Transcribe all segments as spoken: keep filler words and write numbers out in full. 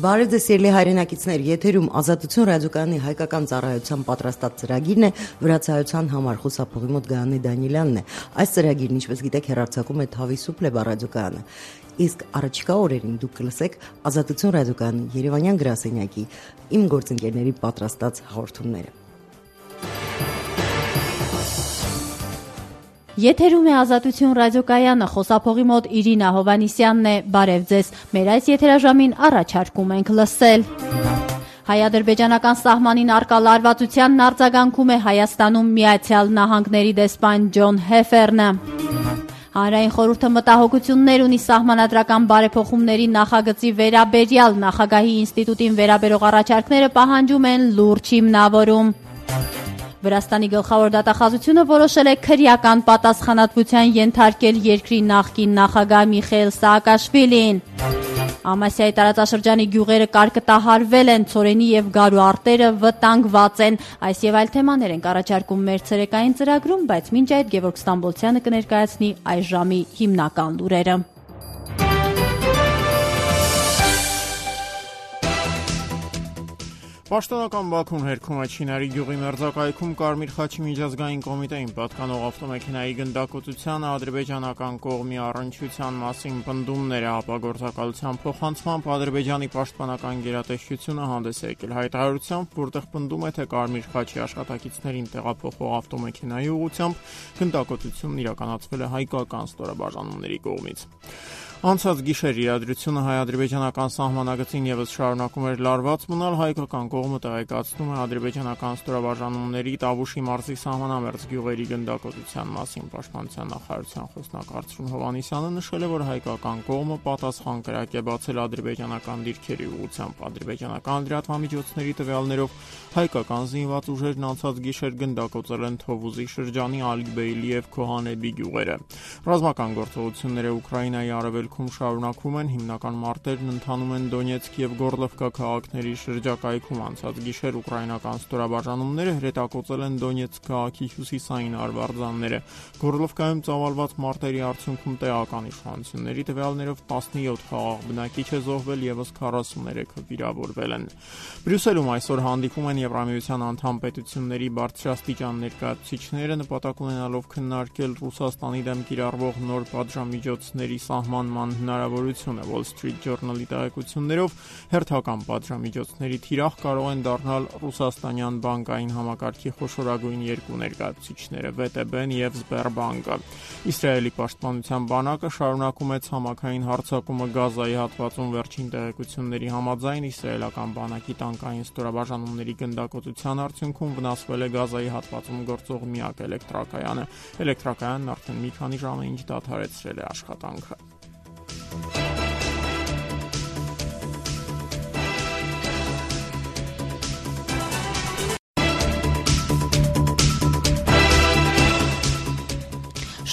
Բարև ձեզ սիրելի հայրենակիցներ, եթերում Ազատություն ռադիոկայանի հայկական ծառայության պատրաստած ծրագիրն է, վրացայության համար խուսափողի մոտ Գայանե Դանիելյանն է։ Այս ծրագիրն, ինչպես գիտեք, հեռարձակում է Թավի Սուպլեբա ռադիոկայանը։ Իսկ առաջիկա օրերին դուք կլսեք Ազատություն ռադիոկայանի Երևանյան գրասենյակի իմ գործընկերների պատրաստած հաղորդումները։ Եթերում է Ազատություն ռադիոկայանը, խոսափողի մոտ Իրինա Հովանիսյանն է, բարև ձեզ, մեր այս եթերաժամին առաջարկում ենք լսել։ Հայ-ադրբեջանական սահմանին առկա լարվածությանն արձագանքում է Հայաստանում Միացյալ Նահանգների դեսպան Ջոն Հեֆերնը։ Հանրային խորհուրդը մտահոգություններ ունի սահմանադրական բարեփոխումների նախագծի վերաբերյալ, նախագահի ինստիտուտին վերաբերող առաջարկները պահանջում են լուրջ հիմնավորում։ Վրաստանի գլխավոր դատախազությունը որոշել է քրեական պատասխանատվության ենթարկել երկրի նախկին նախագահ Միխայիլ Սաակաշվիլիին։ Ամասիայի տարածաշրջանի գյուղերը կարկտահարվել են, ցորենի եւ գարու արտերը վտանգված են։ Այս եւ այլ թեմաներ ենք առաջարկում մեր ցերեկային ծրագրում, բայց մինչ այդ Գևորգ Ստամբոլցյանը կներկայացնի այս ժամի հիմնական լուրերը։ Պաշտոնական Բաքուն հերքում է Չինարի գյուղի մերձակայքում Կարմիր խաչի միջազգային կոմիտեին պատկանող ավտոմեքենայի գնդակոծությանը ադրբեջանական կողմի առնչության մասին պնդումները ապագործակալության փոխանցմամբ Ադրբեջանի պաշտպանական գերատեսչությունը հանդես է եկել հայտարարությամբ, որտեղ պնդում է, թե Կարմիր խաչի աշխատակիցներին տեղափոխող ավտոմեքենայի ուղղությամբ գնդակոծությունն իրականացվել է հայկական ստորաբաժանումների կողմից։ Անցած գիշեր իրադրությունը հայ-ադրբեջանական սահմանագծին եւս շարունակում էր լարված մնալ, հայկական կողմը տեղեկացնում է ադրբեջանական ստորաբաժանումների Տավուշի մարզի սահմանամերձ գյուղերի գնդակոծության մասին։ Պաշտպանության նախարարության խոսնակ Արծրուն Հովանիսյանը նշել է, որ հայկական կողմը պատասխան կրակ է բացել ադրբեջանական դիրքերի ուղղությամբ։ Ադրբեջանական լրատվամիջոցների տվյալներով հայկական զինված ուժերն անցած գիշեր գնդակոծել են Թովուզի շրջանի Ալիբեյլի եւ Քոհանեբի գյուղերը։ Ռազմական գործողությունները Ուկրաինայի արևելքում շարունակվում են, հիմնական մարտերն ընթանում են Դոնեցկ եւ Գորլովկա քաղաքների շրջակայքում։ Անցած գիշեր ուկրաինական ստորաբաժանումները հրետակոծել են Դոնեցկ քաղաքի հյուսիսային արվարձանները։ Գորլովկայում ծավալված մարտերի արդյունքում տեղական իշխանությունների տվյալներով տասնյոթ խաղաղ բնակիչ է զոհվել, եւս քառասուններեքը վիրավորվել են։ Բրյուսելում այսօր հանդիպում են Եվրամիության անդամ պետությունների բարձրաստիճան ներկայացուցիչները, նպատակ ունենալով քննարկել Ռուսաստանի դեմ կիրառվող նոր պատժամիջոցների սահմանման հնարավորությունը։ Wall Street Journal-ի տեղեկություններով հերթական պատժամիջոցների թիրախ կարող են դառնալ ռուսաստանյան բանկային համակարգի խոշորագույն երկու ներկայացուցիչները՝ վե տե բեն եւ Սբերբանկը։ Իսրայելի պաշտպանության բանակը շարունակում է ցամաքային հարձակումը Գազայի հատվածում։ Վերջին տեղեկությունների համաձայն իսրայելական բանակի տանկային ստորաբաժանումների գնդակոծության արդյունքում վնասվել է Գազայի հատվածում գործող միակ էլեկտրակայանը։ Էլեկտրակայանն արդեն մի քանի ժամ է ինչ դադարեցրել է աշխատանքը։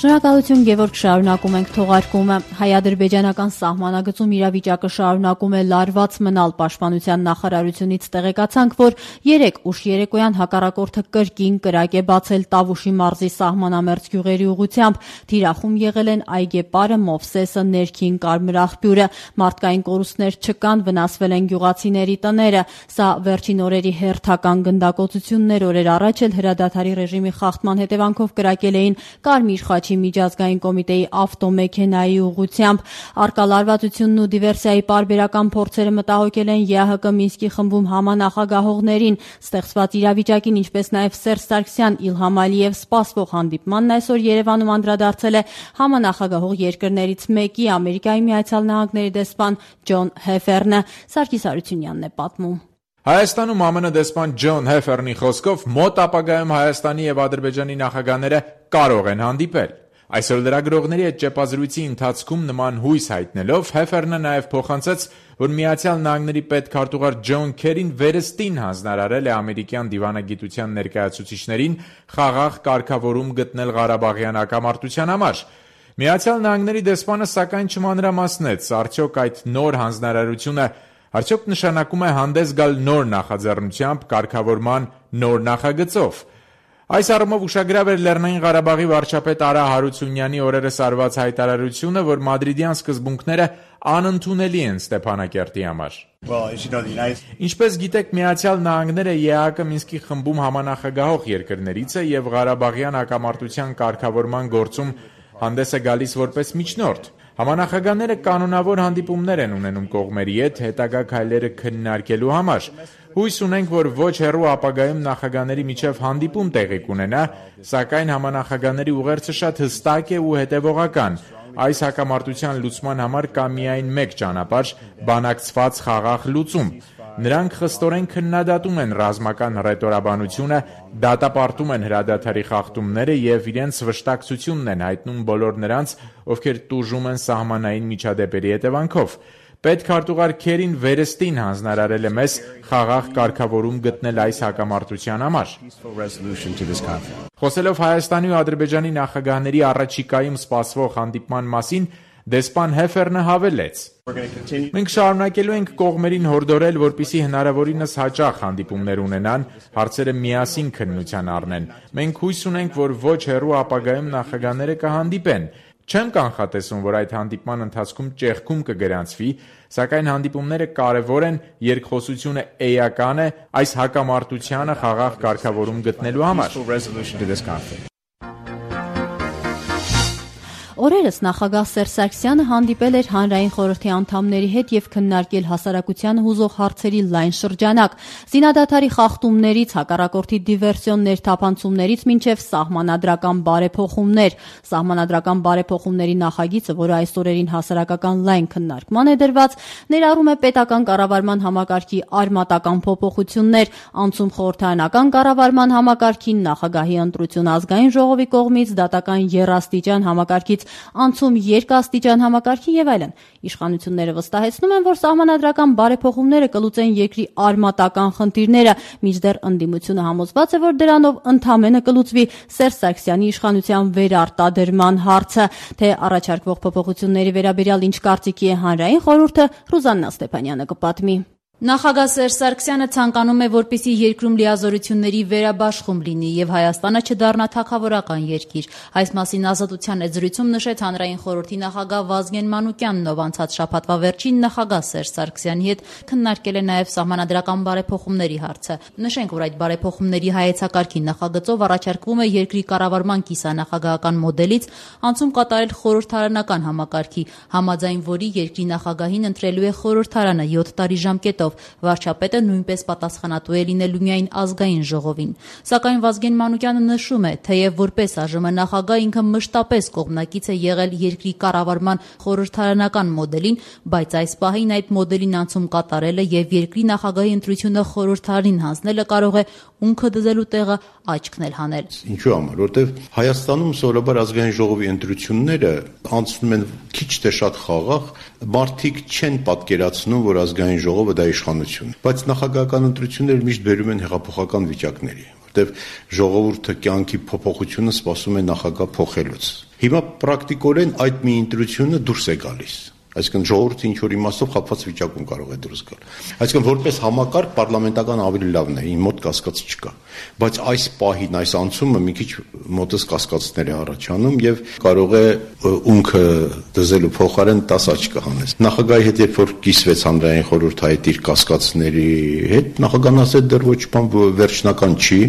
Շնորհակալություն Գևորգ, շարունակում ենք թողարկումը։ Հայ-ադրբեջանական սահմանագծում իրավիճակը շարունակում է լարված մնալ։ Պաշտպանության նախարարությունից տեղեկացանք, որ երեկ ուշ երեկոյան հակառակորդը կրկին կրակ է բացել Տավուշի մարզի սահմանամերձ գյուղերի ուղղությամբ։ Թիրախում եղել են Այգեպարը, Մովսեսը, Ներքին Կարմրաղբյուրը։ Մարդկային կորուստներ չկան, վնասվել են գյուղացիների տները։ Սա վերջին օրերի հերթական գնդակոծություններ օրեր առաջ էլ հրադադարի ռեժիմի խախտման հետևանքով կրակել էին Կարմիր խաչի միջազգային կոմիտեի ավտոմեքենայի ուղղությամբ։ Առկա լարվածությունն ու դիվերսիայի պարբերական փորձերը մտահոգել են ԵԱՀԿ Մինսկի խմբում համանախագահողներին։ Ստեղծված իրավիճակին, ինչպես նաև Սերժ Սարգսյան, Իլհամ Ալիև սպասվող հանդիպմանն այսօր Երևանում անդրադարձել է համանախագահող երկրներից մեկի, Ամերիկայի Միացյալ Նահանգների դեսպան Ջոն Հեֆերնը։ Սարգիս Արությունյանն է պատմում։ Հայաստանում ԱՄՆ դեսպան Ջոն Հեֆերնի խոսքով մոտ ապագայում Հայաստանի եւ Ադրբեջանի նախագահները կարող են հանդիպել։ Այսօր լրագրողների հետ ճեպազրույցի ընթացքում նման հույս հայտնելով Հեֆերնը նաև փոխանցեց, որ Միացյալ Նահանգների պետքարտուղար Ջոն Քերին վերստին հանձնարարել է ամերիկյան դիվանագիտության ներկայացուցիչներին խաղաղ կարգավորում գտնել Ղարաբաղյան հակամարտության համար։ Միացյալ Նահանգների դեսպանը սակայն չմանրամասնեց, արդյոք այդ նոր հանձնարարությունը արդյոք նշանակում է հանդես գալ նոր նախաձեռնությամբ կարգավորման նոր նախագծով։ Այս առումով ուշագրավ էր Լեռնային Ղարաբաղի վարչապետ Արա Հարությունյանի օրերս արված հայտարարությունը, որ մադրիդյան սկզբունքները անընդունելի են Ստեփանակերտի համար։ Ինչպես գիտեք, Միացյալ Նահանգները ԵԱՀԿ Մինսկի խմբում համանախագահող երկրներից է եւ Ղարաբաղյան հակամարտության կարգավորման գործում հանդես է գալիս որպես միջնորդ։ Համանախագահները կանոնավոր հանդիպումներ են ունենում կողմերի հետ հետագա քայլերը քննարկելու համար։ Հույս ունենք, որ ոչ հեռու ապագայում նախագահների միջև հանդիպում տեղի կունենա, սակայն համանախագահների ուղերձը շատ հստակ է ու հետևողական։ Այս հակամարտության լուծման համար կա միայն մեկ ճանապարհ՝ բանակցված խաղաղ լուծում։ Նրանք խստորեն քննադատում են ռազմական հռետորաբանությունը, դատապարտում են հրադադարի խախտումները եւ իրենց վշտակցությունն են հայտնում բոլոր նրանց, ովքեր տուժում են սահմանային միջադեպերի հետևանքով։ Պետքարտուղար Քերին վերստին հանձնարարել է մեզ խաղաղ կարգավորում գտնել այս հակամարտության համար։ Խոսելով Հայաստանի ու Ադրբեջանի նախագահների առաջիկայում սպասվող հանդիպման մասին, դեսպան Հեֆերնը հավելեց. Մենք շարունակելու ենք կողմերին հորդորել, որպեսզի հնարավորինս հաճախ հանդիպումներ ունենան, հարցերը միասին քննության առնեն։ Մենք հույս ունենք, որ ոչ հեռու ապագայում նախագահները կհանդիպեն։ Չեմ կանխատեսում, որ այդ հանդիպման ընթացքում ճեղքում կգրանցվի, սակայն հանդիպումները կարևոր են, երկխոսությունը էական է այս հակամարտությանը խաղաղ կարգավորում գտնելու համար։ Օրերս նախագահ Սերժ Սարգսյանը հանդիպել էր հանրային խորհրդի անդամների հետ եւ քննարկել հասարակությանը հուզող հարցերի լայն շրջանակ։ Զինադադարի խախտումներից, հակառակորդի դիվերսիոն ներթափանցումներից մինչեւ սահմանադրական բարեփոխումներ։ Սահմանադրական բարեփոխումների նախագիծը, որը այս օրերին հասարակական լայն քննարկման է դրված, ներառում է պետական կառավարման համակարգի արմատական փոփոխություններ, անցում խորհրդարանական կառավարման համակարգին, նախագահի ընտրություն ազգային ժողովի կողմից, դատական եռաստիճան համակարգից անցում երկաստիճան համակարգի եւ այլն։ Իշխանությունները վստահեցնում են, որ սահմանադրական բարեփոխումները կլուծեն երկրի արմատական խնդիրները, մինչդեռ ընդդիմությունը համոզված է, որ դրանով ընդամենը կլուծվի Սերժ Սարգսյանի իշխանության վերարտադրման հարցը։ Թե առաջարկվող փոփոխությունների վերաբերյալ ինչ կարծիքի է հանրային խորհուրդը, Ռուզաննա Ստեփանյանը կպատմի։ Նախագահ Սերժ Սարգսյանը ցանկանում է, որպեսզի երկրում լիազորությունների վերաբաշխում լինի եւ Հայաստանը չդառնա թագավորական երկիր։ Այս մասին Ազատության էջրույցում նշեց հանրային խորհրդի նախագահ Վազգեն Մանուկյանն, ով անցած շաբաթվա վերջին նախագահ Սերժ Սարգսյանի հետ քննարկել է նաեւ սահմանադրական բարեփոխումների հարցը։ Նշենք, որ այդ բարեփոխումների հայեցակարգի նախագծով առաջարկվում է երկրի կառավարման կիսանախագահական մոդելից անցում կատարել խորհրդարանական համակարգի, համաձայն որի երկրի նախագահին ընտրելու է խորհրդարանը յոթ տարի ժամկետով։ Վարչապետը նույնպես պատասխանատու է լինելու միայն ազգային ժողովին։ Սակայն Վազգեն Մանուկյանը նշում է, թեև որպես ԱԺՄ նախագահ ինքը մշտապես կողմնակից է եղել երկրի կառավարման խորհրդարանական մոդելին, բայց այս պահին այդ մոդելին անցում կատարելը եւ երկրի նախագահի ընտրությունը խորհրդարանին հանձնելը կարող է ունքը դզելու տեղը աչքն էլ հանել։ Ինչու՞ համար, որտեվ Հայաստանում սովորաբար ազգային ժողովի ընտրությունները անցնում են քիչ թե շատ խաղաղ, մարդիկ չեն պատկերացնում, որ ազգային ժողովը դա իշխանություն է, բայց նախագահական ընտրությունները միշտ բերում են հեղափոխական վիճակների, որտեվ ժողովուրդը կյանքի փոփոխությունը սպասում է նախագահ փոխելուց։ Հիմա պրակտիկորեն այդ մի ընտրությունը դուրս է գալիս։ Այսինքն ժողովուրդը ինչ որ իմաստով խափված վիճակում կարող է դուրս գալ։ Այսինքն որպես համակարգ պարլամենտական ավելի լավն է, իմ մոտ կասկած չկա։ Բայց այս պահին, այս անցումը մի քիչ մոտս կասկածներ է առաջանում եւ կարող է ունքը դզելու փոխարեն տաս աչք հանես։ Նախագահի հետ երբ որ կիսվեց հանրային խորհուրդը այդ իր կասկածների հետ, նախագահն ասել դեռ ոչ բան վերջնական չի,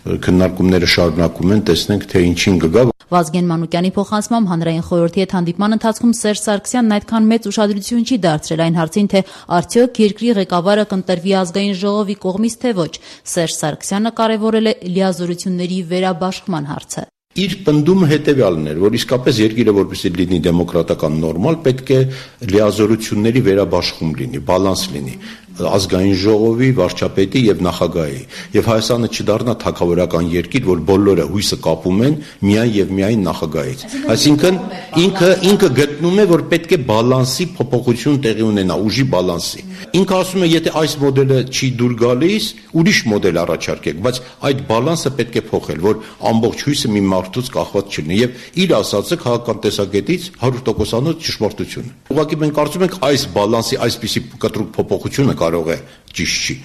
քննարկումները շարունակում են, տեսնենք թե ինչին կգա։ Վազգեն Մանուկյանի փոխանցմամբ հանրային խորհրդի հետ հանդիպման ընթացքում Սերժ Սարգսյանն այդքան մեծ ուշադրություն չի դարձրել այն հարցին, թե արդյոք երկրի ղեկավարը կընտրվի ազգային ժողովի կողմից թե ոչ։ Սերժ Սարգսյանը կարևորել է լիազորությունների վերաբաշխման հարցը։ Իր պնդումը հետևյալն էր, որ իսկապես երկիրը որպեսզի լինի դեմոկրատական նորմալ, պետք է լիազորությունների վերաբաշխում լինի, բալանս լինի ազգային ժողովի, վարչապետի եւ նախագահի, եւ Հայաստանը չդառնա թագավորական երկիր, որ բոլորը հույսը կապում են միայն եւ միայն նախագահից։ Այսինքն ինքը ինքը գտնում է, որ պետք է բալանսի փոփոխություն տեղի ունենա, ուժի բալանսի։ Ինքը ասում է, եթե այս մոդելը չի դուր գալիս, ուրիշ մոդել առաջարկեք, բայց այդ բալանսը պետք է փոխել, որ ամբողջ հույսը մի մարդուց կախված չլինի եւ իր ասածը քաղաքական տեսակետից հարյուր տոկոսանոց ճշմարտություն է։ Ուղղակի մենք կարծում ենք այս բալանսի այսպիսի կտրուկ փոփոխությունը կարող է ճիշտ չի։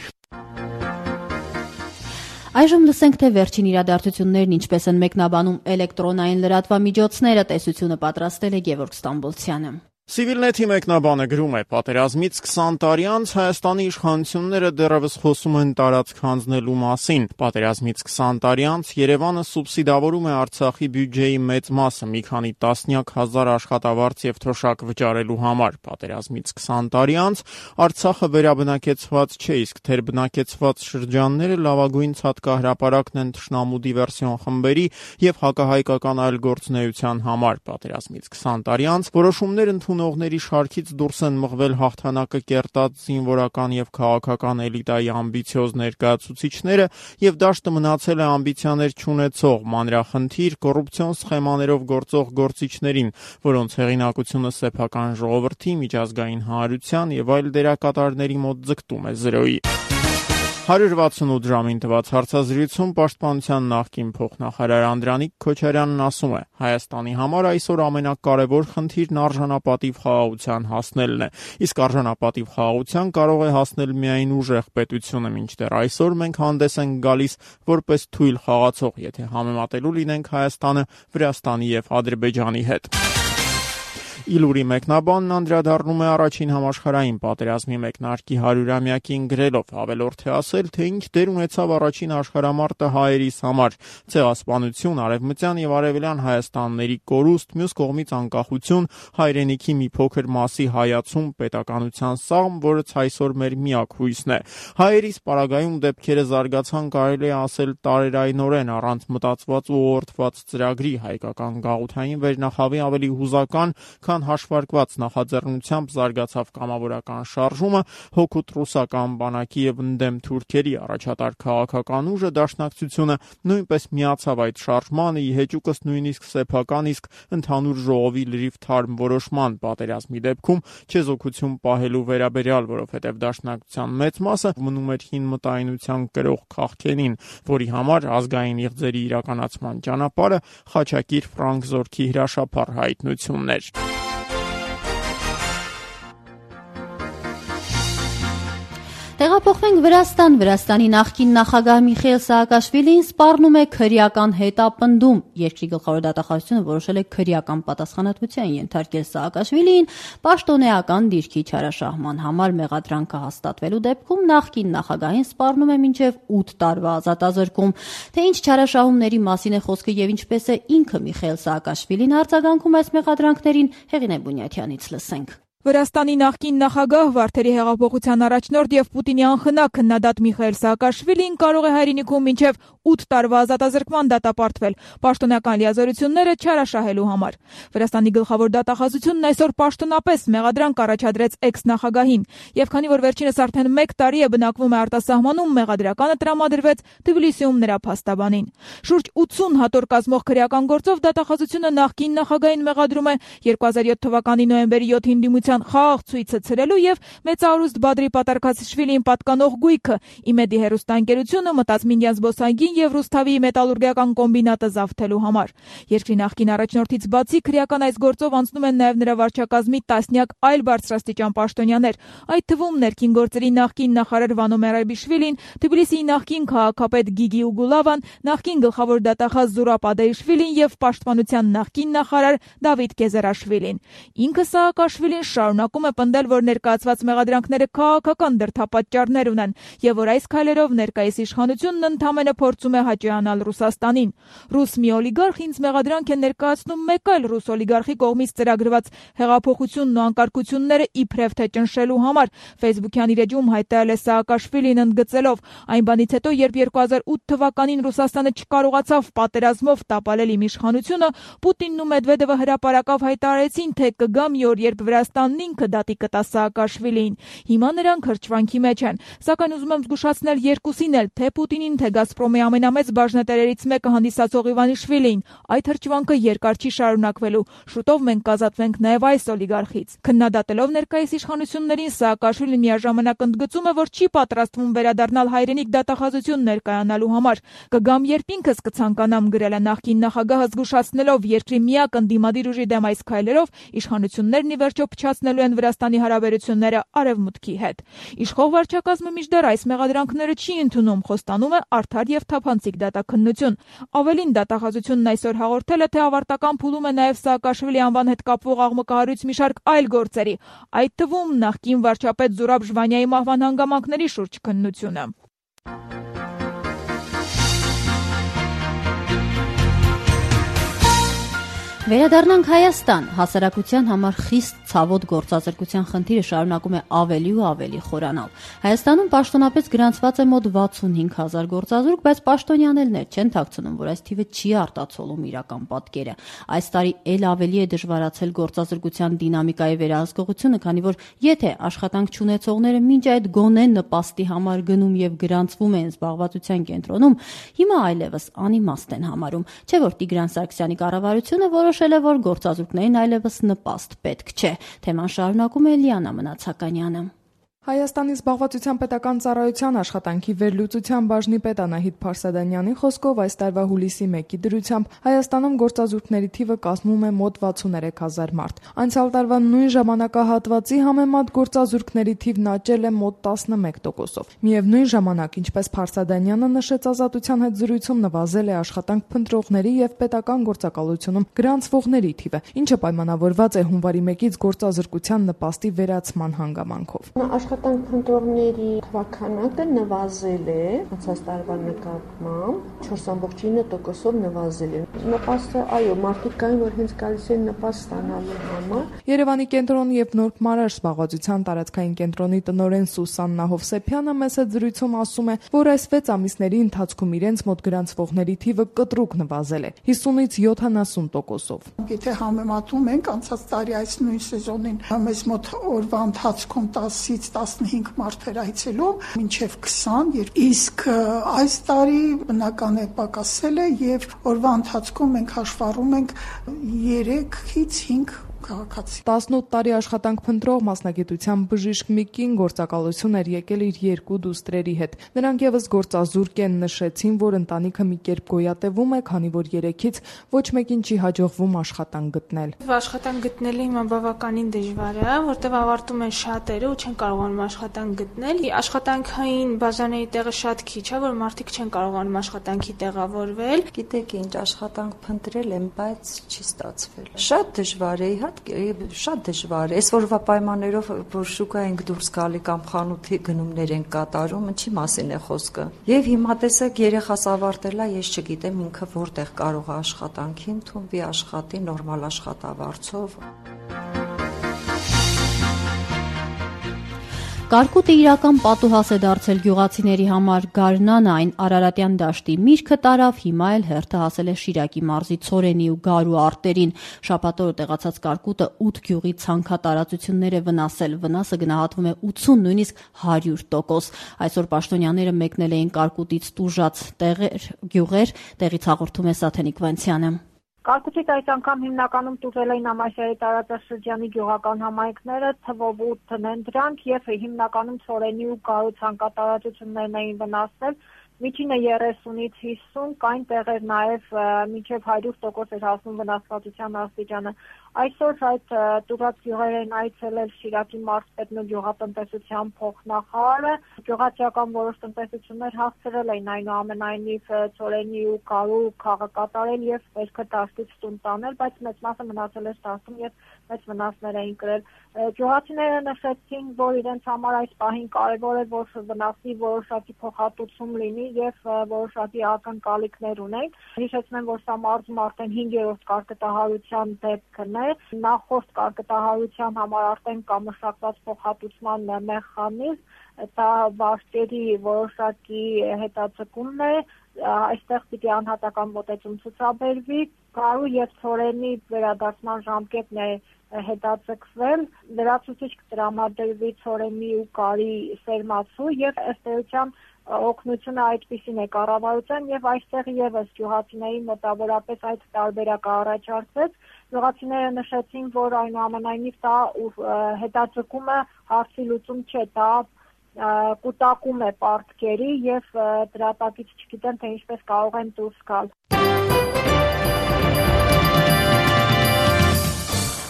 Այժմ լսենք, թե վերջին իրադարձություններն ինչպես են մեկնաբանում էլեկտրոնային լրատվամիջոցները, տեսությունը պատրաստել է Գևորգ Ստամբոլցյանը։ Civilnet-ի մեկնաբանը գրում է. պատերազմից քսան տարի անց Հայաստանի իշխանությունները դեռևս խոսում են տարածք հանձնելու մասին։ Պատերազմից քսան տարի անց Երևանը սուբսիդավորում է Արցախի բյուջեի մեծ մասը մի քանի տասնյակ հազար աշխատավարձ եւ թոշակ վճարելու համար։ Պատերազմից քսան տարի անց Արցախը վերաբնակեցված չէ, իսկ թերբնակեցված շրջանները լավագույն ցատկահրապարակն են թշնամու դիվերսիոն խմբերի եւ հակահայկական այլ գործունեության համար։ Պատերազմից քսան տարի անց որոշումներ ընդունողների շարքից դուրս են մղվել հաղթանակը կերտած զինվորական եւ քաղաքական էլիտայի ամբիցիոզ ներկայացուցիչները եւ դաշտը մնացել է ամբիցիաներ չունեցող, մանրախնդիր, կոռուպցիոն սխեմաներով գործող գործիչներին, որոնց հեղինակությունը սեփական ժողովրդի, միջազգային հանրության եւ այլ դերակատարների մոտ ձգտում է զրոյի։ հարյուր վաթսունութ ժամին տված հարցազրույցում Պաշտպանության նախկին փոխնախարար Անդրանիկ Քոչարյանն ասում է. Հայաստանի համար այսօր ամենակարևոր խնդիրն արժանապատիվ խաղաղության հասնելն է, իսկ արժանապատիվ խաղաղության կարող է հասնել միայն ուժեղ պետությունը, մինչդեռ այսօր մենք հանդես ենք գալիս որպես թույլ խաղացող, եթե համեմատելու լինենք Հայաստանը Վրաստանի եւ Ադրբեջանի հետ։ Իլուրի մեկնաբանն անդրադառնում է առաջին համաշխարհային պատերազմի մեկնարկի հարյուրամյակին գրելով. ավելորդ է ասել, թե ինչ դեր ունեցավ առաջին աշխարհամարտը հայերիս համար, ցեղասպանություն, արևմտյան եւ արևելյան Հայաստանների կորուստ, մյուս կողմից անկախություն, հայրենիքի մի փոքր մասի հայացում, պետականության սաղմ, որը այսօր մեր միակ հույսն է։ Հայերիս պարագայում դեպքերը զարգացան, կարելի է ասել, տարերայնորեն առանց մտածված ու ուղղորդված ծրագրի, հայկական գաղութային վերնախավի ավելի հուզական հաշվարկված նախաձեռնությամբ զարգացավ կամավորական շարժումը, հօգուտ ռուսական բանակի եւ ընդդեմ թուրքերի առաջատար քաղաքական ուժը դաշնակցությունը նույնպես միացավ այդ շարժմանը, ի հեճուկս նույնիսկ սեփական, իսկ ընդհանուր ժողովի լրիվ թարմ որոշման պատերազմի դեպքում չեզոքություն պահելու վերաբերյալ, որովհետեւ դաշնակցության մեծ մասը մնում էր հին մտայնության կրող քաղաքենին, որի համար ազգային իղձերի իրականացման ճանապարհը Խաչակիր Ֆրանկ Զորքի հրաշափառ հայտնությունն էր։ Տեղափոխվենք Վրաստան։ Վրաստանի նախկին նախագահ Միխայիլ Սաակաշվիլին սպառնում է քրեական հետապնդում։ Երկրի գլխավոր դատախազությունը որոշել է քրեական պատասխանատվության ենթարկել Սաակաշվիլիին պաշտոնեական դիրքի չարաշահման համար մեղադրանքը հաստատվելու դեպքում նախկին նախագահին սպառնում է մինչև ութ տարվա ազատազրկում։ Թե ինչ չարաշահումների մասին է խոսքը եւ ինչպես է ինքը Միխայիլ Սաակաշվիլին արձագանքում այս մեղադրանքներին, Հեղինե Բունյաթյանից լսենք։ Վրաստանի նախկին նախագահ, Վարդերի հեղափոխության առաջնորդ եւ Պուտինի անխնա քննադատ Միխայիլ Սաակաշվիլին կարող է հայրենիքում մինչև ութ տարվա ազատազրկման դատապարտվել պաշտոնական լիազորությունները չարաշահելու համար։ Վրաստանի գլխավոր դատախազությունն այսօր պաշտոնապես մեղադրանք առաջադրեց էքս-նախագահին, եւ քանի որ վերջինս արդեն մեկ տարի է բնակվում է արտասահմանում, մեղադրականը տրամադրվեց Թբիլիսիում նրա փաստաբանին։ Շուրջ ութսուն հատոր կազմող քրեական գործով դատախազությունը նախկին նախագահին մեղադրում է երկու հազար յոթ թվականի նոյեմբերի յոթին դիմության խաղաղ ցույցը ցրելու եւ մեծահարուստ Բադրի Պատարքասիշվիլիին պատկանող գույքը Իմեդի հեռուստաընկերությունը մտածմինյան զբոսայգին եւ Ռուսթավի մետալուրգիական կոմբինատը զավթելու համար։ Երկրի նախկին առաջնորդից բացի քրեական այս գործով անցնում են նաեւ նրա վարչակազմի տասնյակ այլ բարձրաստիճան պաշտոնյաներ, այդ թվում ներքին գործերի նախկին նախարար Վանո Մերայբիշվիլին, Թբիլիսիի նախկին քաղաքապետ Գիգի Ուգուլավան, նախկին գլխավոր դատախազ Զուրապ Ադեիշվիլին եւ պաշտպանության նախկին նախարար Դավիթ Գեզարաշվիլին։ Ինքը Սաակաշվիլին շարունակում է պնդել, որ ներկայացված մեղադրանքները քաղաքական դրդապատճառներ ունեն եւ որ այս քայլերով ներկայիս իշխանությունն ընդհանրապես փորձում է հաճոյանալ Ռուսաստանին։ Ռուս մի օլիգարխ ինձ մեղադրանք է ներկայացնում մեկ այլ ռուս օլիգարխի կողմից ծրագրված հեղափոխությունն ու անկարգությունները իբրև թե ճնշելու համար, Facebook-յան իր էջում հայտարարել է Սաակաշվիլին ընդգծելով. այն բանից հետո, երբ երկու հազար ութ թվականին Ռուսաստանը չկարողացավ պատերազմով տապալել իմ իշխանությունը, Պուտինն ու Մեդվեդևը հրապարակավ հայտարարեցին, թե կգա մի օր, երբ Վրաստանն ինքը դատի կտա Սաակաշվիլիին։ Հիմա նրանք հրճվանքի մեջ են, սակայն ուզում եմ զգուշացնել երկուսին էլ, թե Պուտինին, թե Գազպրոմի ամենամեծ բաժնետերերից մեկը հանդիսացող Իվանիշվիլիին, այդ հրճվանքը երկար չի շարունակվելու։ Շուտով մենք կազատվենք նաև այս օլիգարխից։ Քննադատելով ներկայիս իշխանություններին, Սաակաշվիլին միաժամանակ ընդգծում է, որ չի պատրաստվում վերադառնալ հայրենիք դատախազություն ներկայանալու համար։ Կգամ, երբ ինքս կցանկանամ, գրել է նախկին նախագահը, զգուշացնելով երկրի միակ ընդդիմադիր ուժի դեմ այս քայլերով իշխանություններն ի վերջո փչացնելու են Վրաստանի հարաբերությունները Արևմուտքի հետ։ Իշխող վարչակազմը մինչդեռ այս մեղադրանքները չի ընդունում, խոստանում է արդար եւ թափ թափանցիկ դատաքննություն։ Ավելին, դատախազությունն այսօր հաղորդել է, թե ավարտական փուլում է նաև Սաակաշվիլի անվան հետ կապվող աղմկահարույց մի շարք այլ գործերի, այդ թվում նախկին վարչապետ Զուրաբ Ժվանյայի մահվան հանգամանքների շուրջ քննությունը։ Վերադառնանք Հայաստան։ Հասարակության համար խիստ ցավոտ գործազրկության խնդիրը շարունակում է ավելի ու ավելի խորանալ։ Հայաստանում պաշտոնապես գրանցված է մոտ վաթսունհինգ հազար գործազուրկ, բայց պաշտոնյաներներ չեն թաքցնում, որ այս թիվը չի արտացոլում իրական պատկերը։ Այս տարի ել ավելի է դժվարացել գործազրկության դինամիկայի վերահսկողությունը, քանի որ եթե աշխատանք չունեցողները մինչ այդ գոնե նպաստի համար գնում եւ գրանցվում են զբաղվածության կենտրոնում, հիմա այլևս անիմաստ են համարում, չէ՞ որ Տիգրան Սարգսյանի կառավարությունը որոշել է, որ գործազուրկներին այլևս նպաստ պետք չէ։ Թեման շարունակում է Լիանա Մնացականյանը։ Հայաստանի զբաղվածության պետական ծառայության աշխատանքի վերլուծության բաժնի պետ Անահիտ Փարսադանյանի խոսքով այս տարվա հուլիսի մեկի դրությամբ Հայաստանում գործազուրկների թիվը կազմում է մոտ վաթսուներեք հազար մարդ։ Անցյալ տարվա նույն ժամանակահատվածի համեմատ գործազուրկների թիվն աճել է մոտ տասնմեկ տոկոսով։ Միևնույն ժամանակ, ինչպես Փարսադանյանը նշեց, Ազատության հետ զրույցում նվազել է աշխատանք փնտրողների եւ պետական գործակալությունում գրանցվողների թիվը, ինչը պայմանավորված է հունվարի մեկից գործազուրկության նպաստի վերացման հանգամանքով։ Աշխատանք փնտրողների թվաքանակը նվազել է անցած տարվա նկատմամբ չորս կόμma ինը տոկոսով նվազել է։ Նպաստը, այո, մարդիկ կային, որ հենց գալիս են նպաստ ստանալու համար։ Երևանի կենտրոն եւ Նորբ Մարաշ զբաղվածության տարածքային կենտրոնի տնօրեն Սուսաննա Հովսեփյանը մեծ զրույցում ասում է, որ այս վեց ամիսների ընթացքում իրենց մոտ գրանցվողների թիվը կտրուկ նվազել է հիսունից յոթանասուն տոկոսով։ Եթե համեմատում ենք անցած տարի այս նույն սեզոնին, մեզ մոտ օրվա ընթացքում տասից տասնհինգ մարդ էր այցելում, մինչև քսան, իսկ այս տարի բնական է պակասել է եւ օրվա ընթացքում մենք հաշվառում ենք երեքից հինգ քաղաքացի։ տասնութ տարի աշխատանք փնտրող մասնագիտության բժիշկ Միկին գործակալություն էր եկել իր երկու դուստրերի հետ։ Նրանք եւս գործազուրկ են, նշեցին, որ ընտանիքը մի կերպ գոյատևում է, քանի որ երեքից ոչ մեկին չի հաջողվում աշխատանք գտնել։ Աշխատանք գտնելը հիմա բավականին դժվար է, որտեղ ավարտում են շատերը ու չեն կարողանում աշխատանք գտնել։ Աշխատանքային բաժանների տեղը շատ քիչ է, որ մարդիկ չեն կարողանում աշխատանքի տեղավորվել։ Գիտեք ինչ, աշխատանք փնտրել եմ, բայց չի ստացվել։ Շատ դժվար է, շատ դժվար է։ Այս որվա պայմաններով, որ շուկա ենք դուրս գալի կամ խանութի գնումներ ենք կատարում, ինչի մասին է խոսքը։ Եվ հիմա տեսեք, երեխաս ավարտել է, ես չգիտեմ ինքը որտեղ կարող է աշխատանքի ընդունվի, աշխատի նորմալ աշխատավարձով։ Կարկուտը իրական պատուհաս է դարձել գյուղացիների համար։ Գարնանը այն Արարատյան դաշտի միրգը տարավ, հիմա էլ հերթը հասել է Շիրակի մարզի Ցորենի ու Գարու արտերին։ Շաբաթօրը տեղացած կարկուտը ութ գյուղի ցանքատարածություններ է վնասել։ Վնասը գնահատվում է ութսուն, նույնիսկ հարյուր տոկոս։ Այսօր պաշտոնյաները մեկնել էին կարկուտից տուժած տեղեր, գյուղեր, տեղից հաղորդում է Սաթենիկ Վանցյանը։ Կարկուտից այս անգամ հիմնականում տուժել էին Ամասիայի տարածաշրջանի գյուղական համայնքները, թվով ութն են դրանք եւ հիմնականում Ցորենի ու Գարու ցանկատարածություններն էին վնասել։ Միջինը երեսունից հիսուն, կային տեղեր նաև մինչև հարյուր տոկոս էր հասնում վնասվածության աստիճանը։ Այսօր այդ տուժած գյուղեր են այցելել Շիրակի մարզպետն ու գյուղատնտեսության փոխնախարարը։ Գյուղացիական որոշ տնտեսություններ հասցրել էին այնուամենայնիվ Ցորենի ու Գարու խաղը կատարել եւ վերքը դաշտից տուն տանել, բայց մեծ մասը մնացել էր դաշտում եւ մեծ վնասներ էին կրել։ Գյուղացիները նշեցին, որ իրենց համար այս պահին կարևոր է, որ վնասի որոշակի փոխհատուցում լինի եւ որոշակի ակնկալիքներ ունեն։ Հիշեցնեմ, որ սա մարզում արդեն հինգերորդ կարկտահարության դեպքն է։ Նախորդ կարկտահարության համար արդեն կա մշակված փոխհատուցման մեխանիզմ, դա վարկերի որոշակի հետաձգումն է, այստեղ պիտի անհատական մոտեցում ցուցաբերվի, Գարու եւ Ցորենի վերադարձման ժամկետն է հետաձգվել, լրացուցիչ կտրամադրվի Ցորենի ու Գարի սերմացու եւ ըստ էության օգնությունը այդպիսին է կառավարության եւ այստեղ եւս գյուղացիների մոտավորապես այդ տարբերակը առաջարկվեց։ Գյուղացիները նշեցին, որ այնուամենայնիվ դա հետաձգումը հարցի լուծում չէ, դա կուտակում է պարտքերի եւ դրա տակից չգիտեն, թե ինչպես կարող են դուրս գալ։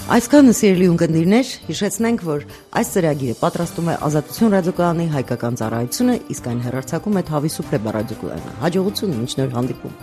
Այսքանը սիրելի ունկնդիրներ, հիշեցնենք, որ այս ծրագիրը պատրաստում է Ազատություն ռադիոկայանի հայկական ծառայությունը, իսկ այն հեռարձակում է Թավի Սուպլե ռադիոկայանը։ Հաջողություն, մինչ նոր հանդիպում։